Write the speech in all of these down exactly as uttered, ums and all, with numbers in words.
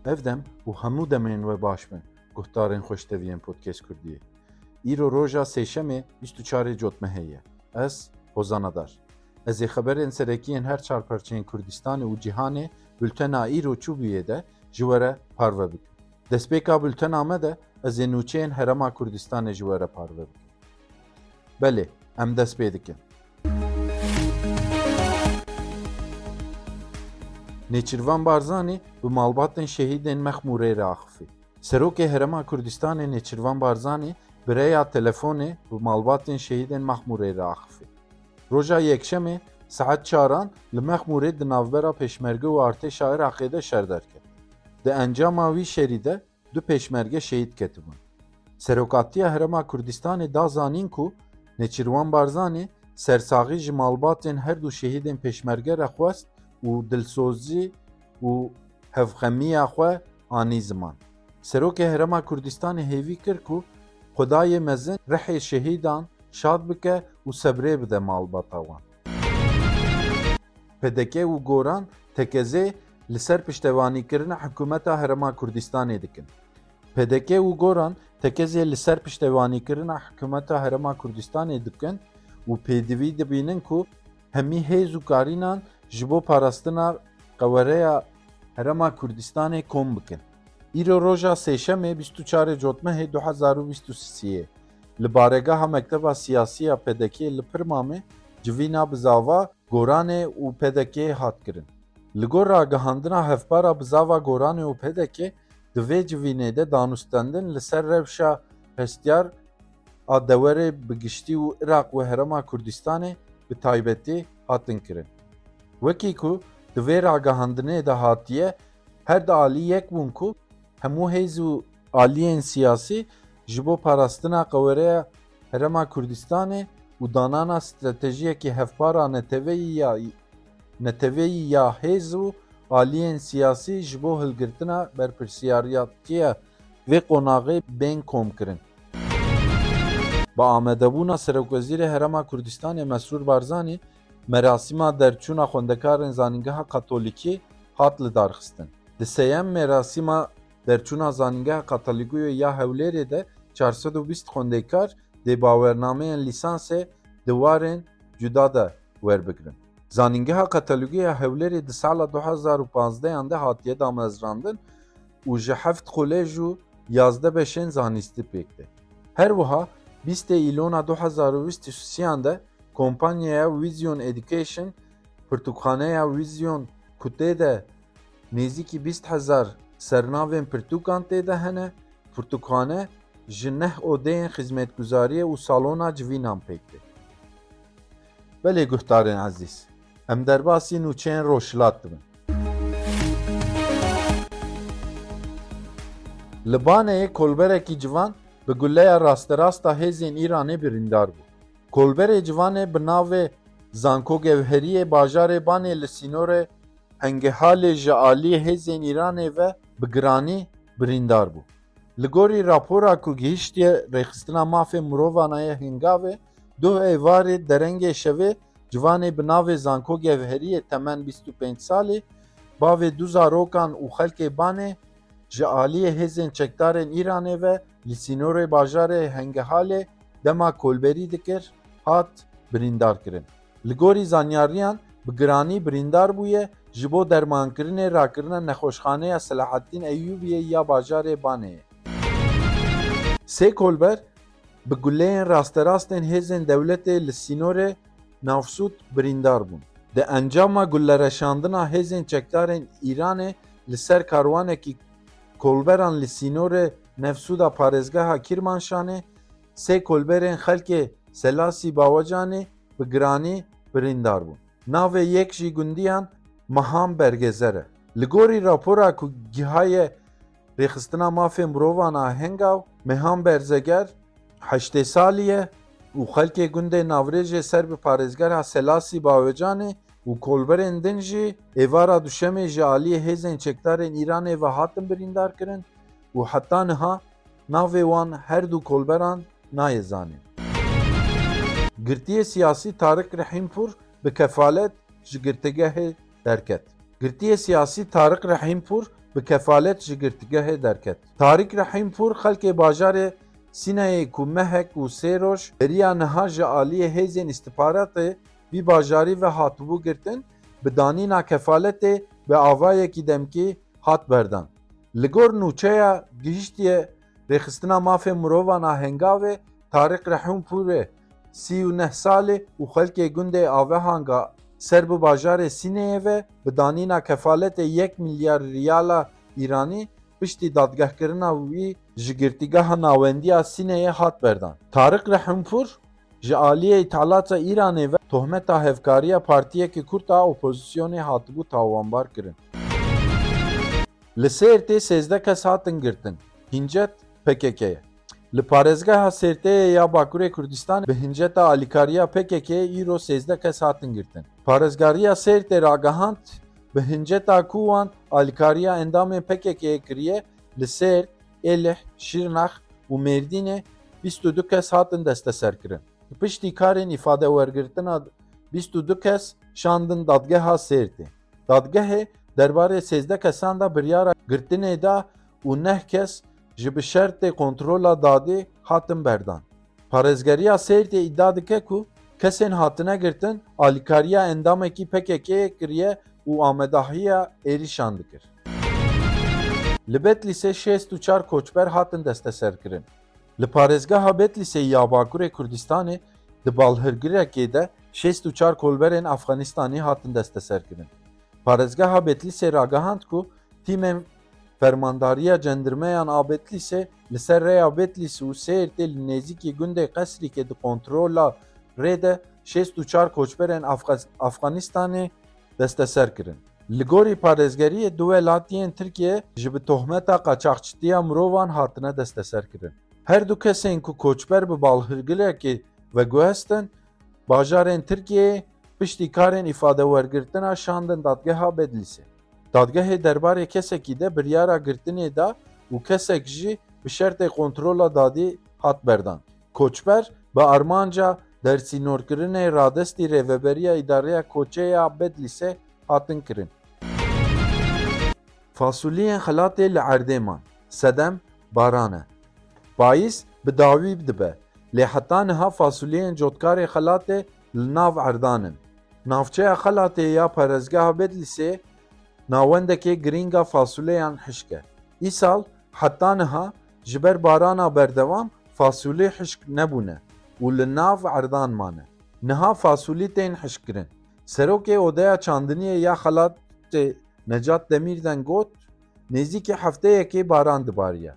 Ev dem û hemû demên we baş bin, guhdarên xweşteviyên Podcast Kurdiyê. Îro roja sêşemê bîst û çarê Cotmehê ye. Ez Hozan Adar. Ez ê xeberên serekî yên her çar perçeyên Kurdistanê û cîhanê bultena îro çûbûyê de ji we re parve bikim. Destpêka bultena me de ez ê nûçeyên Herêma Kurdistanê ji we re parve bikim. Belê, em dest pê dikin. Nêçîrvan Barzanî bi malbatên şehîdên Mexmûrê re axifî. Serokê Herêma Kurdistanê Nêçîrvan Barzanî bi rêya telefonê bi malbatên şehîdên Mexmûrê re axifî. Roja Yekşemê saet çaran li Mexmûrê di navbera Pêşmerge û artêşa Iraqê de şer derket. Di encama wî şerî de du pêşmerge şehîd ketibûn. Serokatiya Herêma Kurdistanê da zanîn ku Nêçîrvan Barzanî sersaxî ji malbatên her du şehîdên Pêşmerge re xwest û dilsozî û hevxemiya xwe anî ziman. Serokê Herêma Kurdistanê hêvî kir ku Xwedayê mezin rihê şehîdan şad bike û sebrê bide malbata wan. P D K û Goran tekezê li ser piştevanîkirina hikûmeta Herêma Kurdistanê dikin. P D K û Goran tekezê li ser piştevanîkirina hikûmeta Herêma Kurdistanê dikin û pêdivî dibînin ku hemî hêz û karînan ji bo parastina qewereya Herêma Kurdistanê kom bikin. Îro roja sêşemê bîst û çarê Cotmehê du hezar û bîst û sê yê li baregeha Mekteba Siyasî ya P D K'ê li Pirmamê civîna bizava Goranê û P D K'ê hat kirin. Li gor ragihandina hevpara bizava Goranê û P D K'ê, di vê civînê de danûstendin li ser rewşa hestiyar a dewerê bi giştî û Iraq û Herêma Kurdistanê bi taybetî hatin kirin. Wekî ku di vê ragihandinê de hatiye, her di alî yek bûn ku hemû hêz û aliyên siyasî ji bo parastina qewereya Herêma Kurdistanê û danana stratejiyekî hevpar a neteweyî ya neteweyî ya hêz û aliyên siyasî ji bo hilgirtina berpirsiyariyatiya vê qonaxê bên komkirin. Bi amadebûna Serokwezîrê Herêma Kurdistanê Mesrûr Barzanî, merasîma derçûna xwendekarên Zanîngeha Katolîkî hat lidarxistin. Di sêyem merasîma derçûna Zanîngeha Katolîkî ya Hewlêrê de çar sed û bîst xwendekar dê bawernameyên lîsansê di warên cuda de werbigrin. Zanîngeha Katolîkî ya Hewlêrê di sala du hezar û panzdeh an de hatiye damezrandin û ji heft kolej û yazdeh beşên zanîstî pêk tê. Her wiha bîstê Îlona du hezar û bîst û sê an de kompanyaya Vision Education, pirtûkxaneya Vision ku tê de nêzîkî bîst hezar sernavên pirtûkan tê de hene, pirtûkxane ji neh odeyên xizmetguzariyê û salona civînan pêk tê. Belê guhdarên ezîz, em derbasî nûçeyên Rojhilat dibin. Li Baneyê kolberekî civan bi guleya rasterast a hêzên Îranê birîndar bû. Kolberê civanê bi navê Zanko Gewheriyê bajarê Banê li sînorê Hengehalê ji aliyê hêzên Îranê ve bi giranî birîndar bû. Li gorî rapora ku gihiştiye Rêxistina Mafê Mirovan a yê Hengavê, duh êvarê derengê şevê civanê bi navê Zanko Gewheriyê temen bîst û pênc salî, bavê du zarokan û xelkê Banê ji aliyê hêzên çekdarên Îranê ve li sînorê bajarê Hengehalê dema kolberî dikir, hat birîndar kirin. Li gorî zanyariyan bi giranî birîndar bûye ji bo dermankirinê rakirine nexweşxaneya Selahaddîn Eyyûbiyê ya bajarê Baneyê. Sê kolber bi guleyên rasterastên hêzên dewletê li sînorê Navsûd birîndar bûn. Di encama gulereşandina hêzên çekdarên Îranê li ser karwanekî kolberan li sînorê Navsûda parêzgeha Kîrmanşanê sê kolberên xelkê Selasî Bawecanê bi giranî birîndar bûn. Navê yek jî gundiyan Mehan Bergezer e. Li gorî rapora ku gihaye Rêxistina Mafê Mirovan a Hengaw, Mehan Berzeger heştê salî ye û xelkê gundê Navrêjê ser bi parêzgeha Selasî Bawecanê û kolberên din jî êvara Duşemê ji aliyê hêzên çekdarên Îranê ve hatin birîndar kirin û heta niha navê wan her du kolberan nayê zanîn. Girtiyê siyasî Tariq Rehîmpûr bi kefalet ji girtîgehê derket. Girtiyê siyasî Tariq Rehîmpûr bi kefalet ji girtîgehê derket. Tarîk Rehîmpûr xelkê bajarê Sîneyê ku mehek û sê roj beriya niha ji aliyê hêzên îstixbaratê vî bajarî ve hatibû girtin, bi danîna kefaletê bi avayekî demkî hat berdan. Li gor nûçeya gihiştiye rêxistina mafê mirovan a Hengavê, Tarîk Rehîmpûrê sî û neh salî û xelkê gundê Avehanga ser bi bajarê Sîneyê ve bi danîna kefaletê yek milyar riyala Îranî piştî dadgehkirina wî ji girtîgeha nawendiya Sîneyê hat berdan. Tarîk Rehîmpûr ji aliyê îthalata Îranê ve tohmeta hevkariya partiyeke Kurd a opozisyonê hatibû tawanbar kirin. Li Sêrtê sêzdeh kes hatin girtin, hincet P K K ye. Li parêzgeha Sêrtê ya Bakurê Kurdistanê bi hinceta alîkariya P K K îro sêzdeh kes hatin girtin. Parêzgariya Sêrtê ragihand, bi hinceta ku wan alîkariya endamên P K K kiriye, li Sêrt, Êlih, Şirnex û Mêrdînê bîst û du kes hatin desteserkirin. Piştî karên îfadewergirtina bîst û du kes şandin dadgeha Sêrtê. Dadgehê derbarê sêzdeh kesan de biryara girtinê da û neh kes ji bi şertê kontrola dadî hatin berdan. Parêzgeriya Sêrtê îdia dike ku kesên hatine girtin alîkariya endamekî P K K'ê kiriye û amedahiya êrîşan dikir. Li Betlîsê şêst û çar koçber hatin desteserkirin. Li parêzgeha Betlîsê ya Bakurê Kurdistanê di balhirgirekê de şêst û çar kolberên Afxanistanî hatin desteserkirin. Parêzgeha Betlîsê ragihand ku tîmên Fermandariya Cendirmeyan a Betlîsê li ser rêya Betlîs û Sêrtê li nêzîkî gundê Qesrîkê di kontrola rê de şêst û çar koçberên Afga-, Afganistanê desteser kirin. Li gorî parêzgeriyê du welatiyên Tirkiye ji bi tohmeta qaçaxçitiya mirovan hatine desteser kirin. Her du kesên ku koçber bi balhirgirekê veguhestin, bajarên Tirkiyeyê piştî karên îfadewergirtina şandin dadgeha Bedlîsê. Dadgehê derbarê kesekî de biryara girtinê da û kesek jî bi şertê kontrola dadî hat berdan. Koçber bi armanca dersînorkirinê radestî Rêveberiya Îdareya Koçê ya Bedlîsê hatin kirin. Fasuliyên xelatê li erdê man. Sedem baran e. Payîz bi dawî dibe. Lê heta niha fasuliyên cotkarê xelatê li nav erdan in. Navçeya Xelatê ya parêzgeha Bedlîsê navendekê girîng a fasuleyan hişk e. Îsal heta niha ji ber barana berdewam fasulî hişk nebûne û li nav erdan mane. Niha fasulî tên hişkkirin. Serokê Odeya Çandiniyê ya Xelatê Necat Demîrden got, nêzîkî hefteyekê baran dibariye.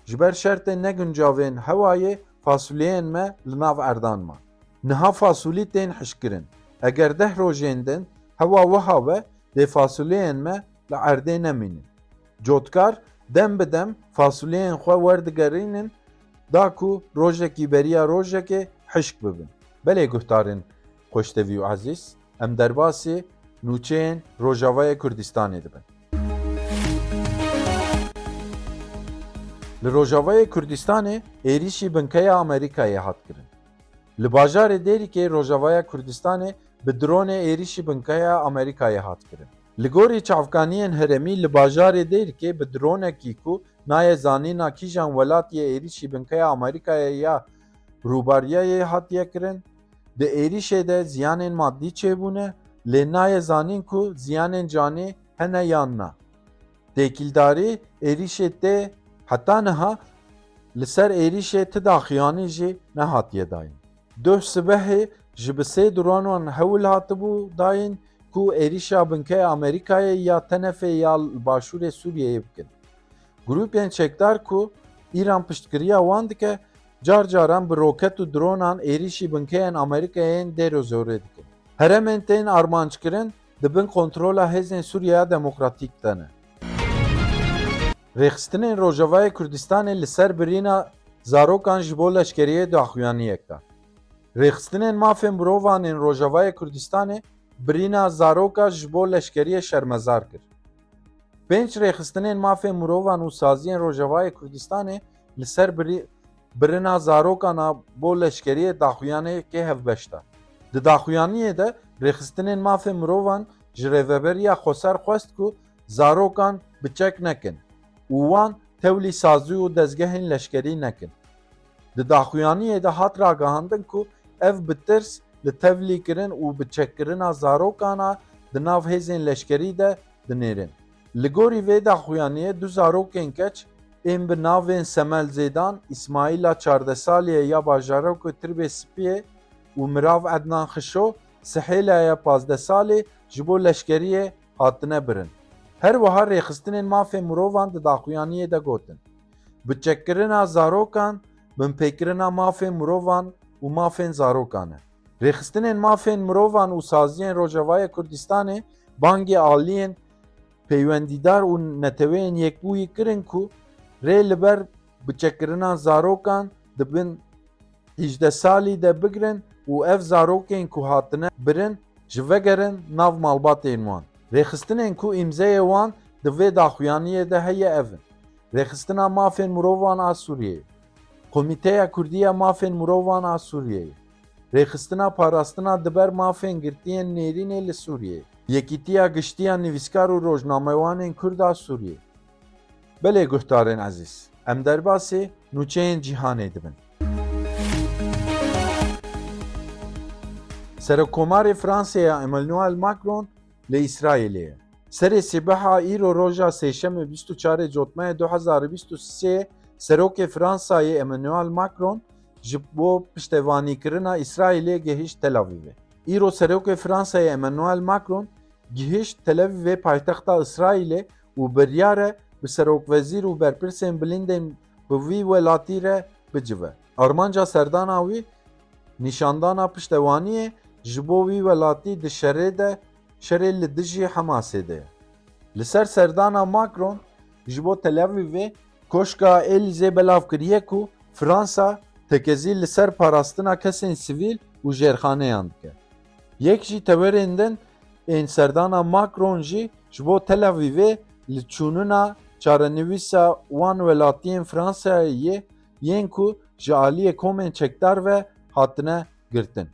Ji ber şertên neguncavên hewayê fasuliyên me li nav erdan man. Niha fasulî tên hişkkirin. Eger deh rojên din hewa wiha be, dê fasuliyên me li erdê nemînin. Cotkar dem bi dem fasuliyên xwe werdigerînin da ku rojekî beriya rojekê hişk bibin. Belê guhdarên xweştevî û ezîz, em derbasî nûçeyên Rojavayê Kurdistanê dibin. Li Rojavayê Kurdistanê êrîşî binkeya Amerîkayê hat kirin. Li bajarê Dêrikê Rojavaya Kurdistanê bi dronê êrîşî binkeya Amerîkayê hat kirin. Li gorî çavkaniyên herêmî li bajarê Dêrikê bi dronekî ku nayê zanîna kîjan welatiyê êrîşî binkeya Amerîkayê ya Rûbariyayê hatiye kirin. Di êrîşê de ziyanên madî çêbûne, lê nayê zanîn ku ziyanên canî hene yan na. Têkildarî êrîşê tê heta niha li ser êrîşê ti daxuyanî jî nehatiye dayîn. Doh sibehê ji bi sê dronan hewl hatibû dayîn ku êrîşa binkeya Amerîkayê ya tenefê ya li başûrê Sûriyeyê bikin. Grûpên çekdar ku Îran piştgiriya wan dike, car caran bi roket û dronan êrîşî binkeyên Amerîkayê yên dêrozorê dikin. Herêmên tên armanckirin di bin kontrola Hêzên Sûriyeya Demokratîk de ne. Rêxistinên Rojavayê Kurdistanê li ser birîna zarokan ji bo leşkeriyê daxuyaniyek da. Rêxistinên mafên mirovan ên Rojavayê Kurdistanê birîna zaroka ji bo leşkeriyê şermezar kir. Pênc rêxistinên mafên mirovan û saziyên Rojavayê Kurdistanê li ser birî-, birina zarokan a bo leşkeriyê daxuyaniyekê hevbeş da. Di daxuyaniyê de rêxistinên mafên mirovan ji Rêveberiya Xweser xwest ku zarokan bi çek nekin û wan tevlî sazî û dezgehên leşkerî nekin. Di daxuyaniyê de hat ragihandin ku ev bi tirs li tevlî kirin û bi çekkirina zarokan a di nav hêzên leşkerî de dinêrin. Li gorî vê daxuyaniyê du zarokên keç ên bi navên Semel Zêdan, Îsmaîla çardeh salî ye ya bajarokê Tirbê Spiyê û Mirav Ednan Xişo, Sihêla ye pazdeh salî, ji bo leşkeriyê hatine birin. Her wiha rêxistinên mafên mirovan di daxuyaniyê de gotin, biçekkirina zarokan binpêkirina mafên mirovan û mafên zarokan e. Rêxistinên mafên mirovan û saziyên Rojavayê Kurdistanê bangê aliyên peywendîdar û Neteweyên Yekbûyî kirin ku rê li ber biçekkirina zarokan di bin hîjdeh salî de bigirin û ev zarokên ku hatine birin ji vegerin nav malbatên wan. Rêxistinên ku îmzeyê wan di vê daxuyaniyê de heye ev in: Rêxistina Mafên Mirovan a Sûriyeyê, Komîteya Kurdî ya Mafên Mirovan a Sûriyeyê, Rêxistina Parastina di ber Mafên Girtiyên Nêrînê li Sûriyeyê, Yekîtiya Giştî ya Nivîskar û Rojnamewanên Kurd a Sûriyê. Belê guhdarên ezîz, em derbasî nûçeyên cîhanê dibin. Serokkomarê Fransayê Emmanuel Macron li Îsraîlê ye. Serê sîbeha îro roja sêşemê bîst û çarê Cotmehê du hezar û bîst û sê, Serokê Fransayê Emmanuel Macron ji bo piştevanîkirina Îsraîlê gihişt Tel Avîvê. Îro Serokê Fransayê Emmanuel Macron gihişt Tel Avîvê paytexta Îsraîlê û biryar e bi serokwezîr û berpirsên bilindên bi vî welatî re bicive. Armanca serdana wî nîşandana piştewaniyê ji bo wî welatî di şerê de, şerê li dijî Hemasê de ye. Li ser serdana Macron ji bo Tel Avîvê Koşka Elîzê belav kiriye ku Fransa tekezî li ser parastina kesên sivîl û jêrxaneyan dike. Yek jî tewerên din ên serdana Macron jî ji bo Tel Avîvê li çûnina çarenivîsa wan welatiyên Fransayê yên ku ji aliyê komên çekdar ve hatine girtin.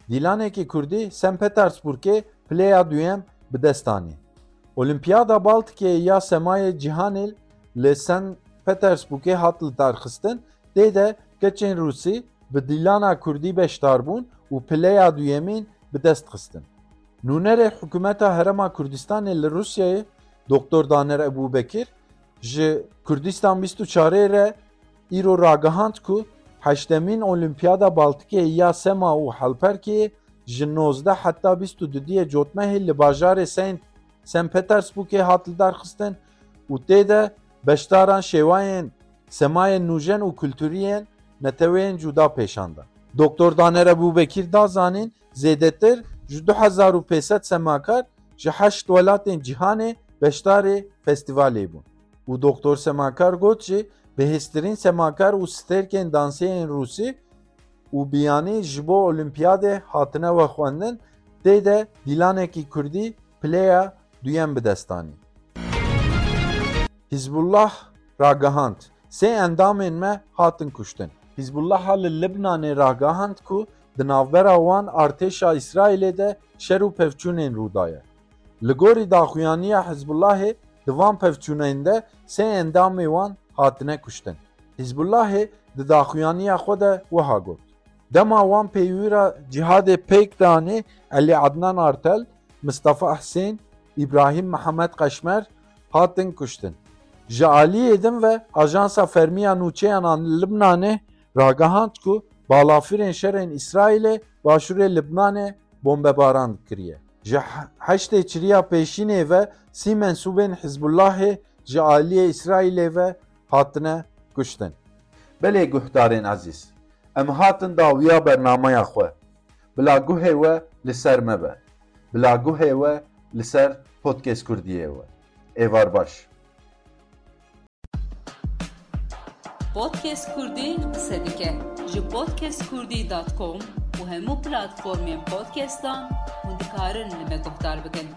Dîlanekî Kurdî Sen Petersburgê pileya duyem bi dest anî. Olimpiyada Baltikê ya semayê cîhanê li Sen Petersburgê hat lidarxistin, tê de keçên Rûsî bi dîlana Kurdî beşdar bûn û pileya duyemîn bi dest xistin. Nûnerê Hikûmeta Herêma Kurdistanê li Rûsyayê Doktor Daner Ebûbekir ji Kurdistan bîst û çarê re îro ragihand ku heştemîn Olimpiyada Baltikê ya Sema û Helperkê ji nozdeh heta bîst û dudiyê Cotmehê li bajarê Saint, Saint Petersburgê hat lidarxistin û tê de beşdaran şêwayên semayên nûjen û kulturî yên neteweyên cuda pêşan da. Doktor Daner Ebûbekir da zanîn, zêdetir ji du hezar û pênc sed semakar ji heşt welatên cîhanê beşdarê festîvalê bûn û Doktor Semakar got jî, bihêztirîn semakar û stêrkên dansê yên Rûsî û biyanî ji bo Olimpiyadê hatine vexwendin, tê de dîlanekî Kurdî pileya duyem bi dest anî. Hizbullah ragihand, sê endamên me hatin kuştin. Hizbullaha li Libnanê ragihand ku di navbera wan artêşa Îsraîlê de şer û pevçûnên rû daye. Li gorî daxuyaniya Hizbullahê, di van pevçûnên de sê endamê wan hatine kuştin. Hizbullahê di daxuyaniya xwe de wiha got: Dema wan peywira cîhadê pêk danê Elî Adnan Artel, Mistefa Hisên, Îbrahîm Mihemed Qeşmer hatin kuştin. Ji aliyê din ve Ajansa Fermî ya Nûçeyan a Libnanê ragihand ku balafirên şerên Îsraîlê başûrê Libnanê bombebaran kiriye. Ji he-, heştê Tişrîna pêşînê ve sî mensûbên Hizbullahê ji aliyê Îsraîlê ve hatine kuştin. Belê guhdarên ezîz, em hatin dawiya bernameya xwe. Bila guhê we li ser me be. Bila guhê we li ser Podcast Kurdiyê we. Êvar baş. Podcast Kurdî qise dike. Ji podcast kurdî dot com û hemû platformên podcastan hûn dikarin li me guhdar bikin.